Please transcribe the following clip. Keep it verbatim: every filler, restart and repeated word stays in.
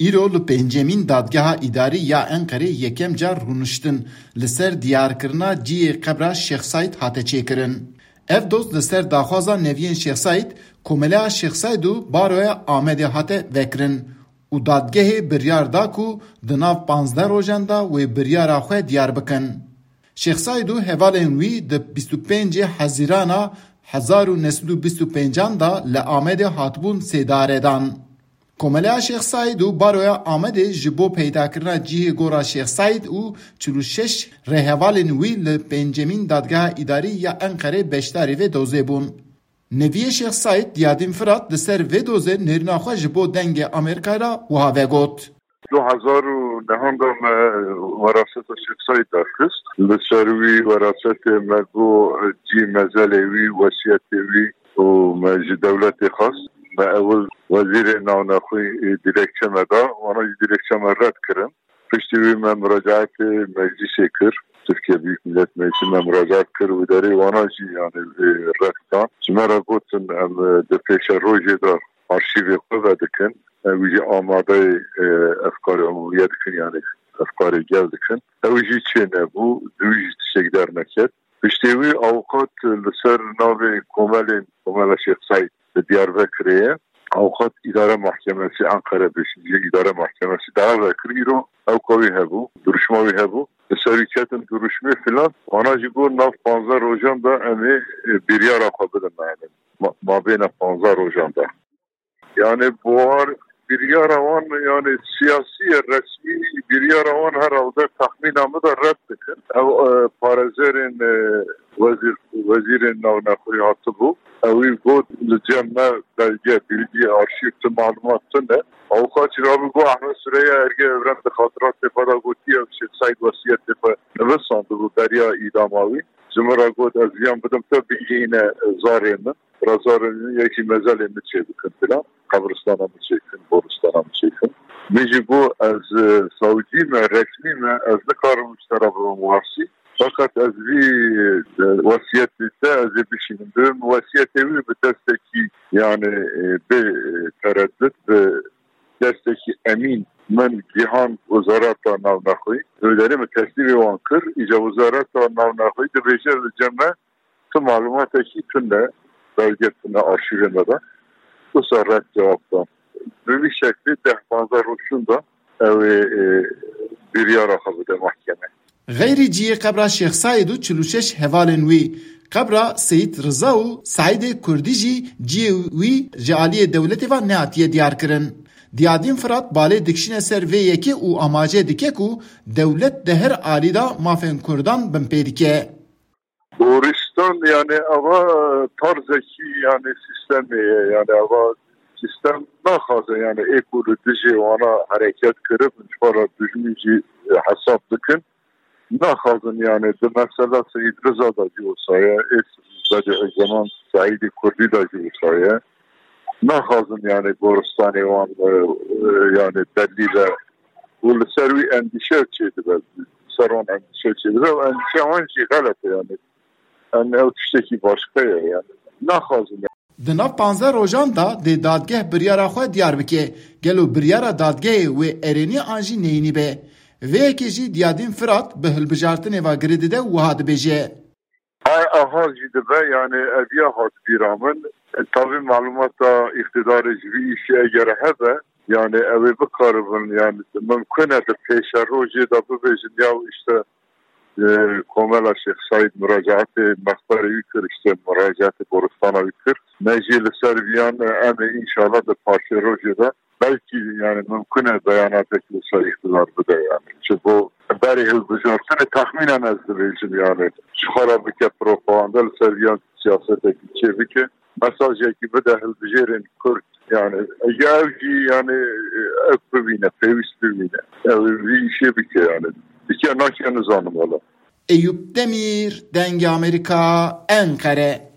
Îro li pêncemîn Dadgeha Îdarî ya Enqerê yekem car rûniştin li ser diyarkirina cihê qebra Şêx Saîd hate çêkirin. Ev doz li ser daxwaza neviyên Şêx Saîd, Komeleya Şêx Saîd û Baroya Amedê hate vekirin û dadgehê biryar da ku di nav panzdeh rojan de wê biryara xwe diyar bikin. Şêx Saîd û hevalên wî di bîst û pêncê Hezîrana hezar û neh sed û bîst û pêncan de li Amedê hatibûn sêdaredan. Komeleya Şêx Saîd û Baroya Amedê ji bo peydakirina cihê gora Şêx Saîd û çil û şeş rêhevalên wî li pêncemîn Dadgeha Îdarî ya Enqerê beşdarî vê dozê bûn. Neviyê Şêx Saîd Diyadîn Firat li ser vê dozê nêrîna xwe ji bo Dengê Amerîkayê re wiha vegot. Du hezar û nehan de me weraseta Şêx Saîd derxist. Li ser wî werasetê me got cî mezelê wî, wesiyetê wî û me ji dewletê xwest. Me ewil wezîrê navnexwî, e, dilekçe me da, wana jî dilekçe me red kirin. Piştî wî me muracaetê meclîsê kir. Tirkiye Büyük Millet Meclisi me muracaet kir, wî derê wana jî, yani, e, red dan. Ji me re gotin, em, e, di pêşerojê de arşîvê xwe vedikin. Ew jî amadeyê, e, efkarê umumiye dikin, yani efkarê gel dikin. Ew jî çê nebû, di wî jî tiştek derneket. Piştê wî awqat li ser navê komelên, Komela Şêx Seîd li Diyarbekirê ye. Awqat îdare mahkemesi Ankara beşinci îdare mahkemesi dawa vekir îro ewka wî hebû, duruşma wî hebû. Li ser wî ketin duruşmê filan, wana jî got nav panzdeh rojan de em ê, e, biryara xwe bidin me. Ma-, mabêna panzdeh rojan de. Yani buhar biryara wan, yani siyasî ye, resmî biryara wan herhalde texmîna min de red dikin. Ew, e, parêzerên, e, wezîr, wezîrên navnexwî hatibû. Ewî got li cem me belge, bilgi, arşîv, tu malumat tune. Avukat jî rabû got Ehmed Süreyya Erge Evren di xatiratê xwe de gotiye, Şêx Seîd wesiyetê xwe nivîsandibû beriya îdama wî. Ji min re got ez viyan bidim te bigihîne zarê min. Razarê min yekî mezelê min çêbikin filan. Qebristana min çêkin, boristana min çêkin. Min jî got ez, e, savcî me, resmî me, ez nikarim ji te re bibim warsî. Feqet ez vî, e, wesiyetê te ez ê bişînim. Dibim wesiyetê wî bi destekî, yani, e, bi, e, tereddut, bi destekî emîn min gihan Wezareta Navnexwî. Wê derê min teslîmê wan kir. Îca Wezareta Navnexwî dibêje li cem me tu malumatekî tune, belge tune arşîvê me de. Wisa red cewab dan. Bi vî şeklî deh panzdeh roj şûnda ew ê, e, biryara xwe bide mahkeme. Xeyrî cihê qebra Şêx Saîd û çil û şeş hevalên wî, qebra Seyîd Riza û Seîdê Kurdî jî cihê wî ji aliyê dewletê ve nehatiye diyarkirin. Diyadîn Firat balê dikişîne ser vê yekê û amaje dike ku dewlet di her alî de mafên Kurdan binpê dike. Goristan, yani, ava tarzekî, yani, sîstemê ye. Yani, ava sîstem naxwaze, yani, ê ku li dijê wana hereket kiribin, ji xwe re dijmin jî hesab dikin. Naxwazin, yani, di mesela Seyîd Riza da jî wisa ye, ê Bediüzzeman Seîdê Kurdî da jî wisa ye. Naxwazin, yani, goristanê wan, e, e, yani, belî be. Û li ser wî endîşe çêdibe. Ser wan endîşe çêdibe û endîşe wan jî xelet e, yani. Em ew tiştekî başqa ye, yani. Naxwazin. Di nav panzdeh rojan de dê dadgeh biryara xwe diyar bike. Gelo biryara dadgehê wê erênî an jî neyînî be? Vê yekê jî Diyadîn Firat bi hilbijartinê ve girê dide û wiha dibêje. Ay aha jî dibe, yani ev ya hat bîra min. E, tabi malumata îqtidarê ji vî îşê eger hebe, yani ew ê bikaribin, yani mimkun e di pêşerojê de bibêjin ya işte, e, Komela Şêx Seîd muracaetê mexberê wî kir, işte muracaetê goristana wî kir. Me jî li ser viyan, e, em ê înşallah di paşê rojê de belkî, yani mimkun e beyanatek li ser îqtidar bide, yani. Ji bo berê hilbijartinê texmînen ez dibêjim, yani ji xwe re bike propaganda, li ser viyan siyasetekî çê bike, mesajekî bide hilbijêrên Kurd, yani ya ew jî, yani ew bibîne, pêwîst bibîne. Ew vî îşê bike, yani. Bike nake nizanim wela. Eyüp Demir, Dengê Amerîka, Enqere.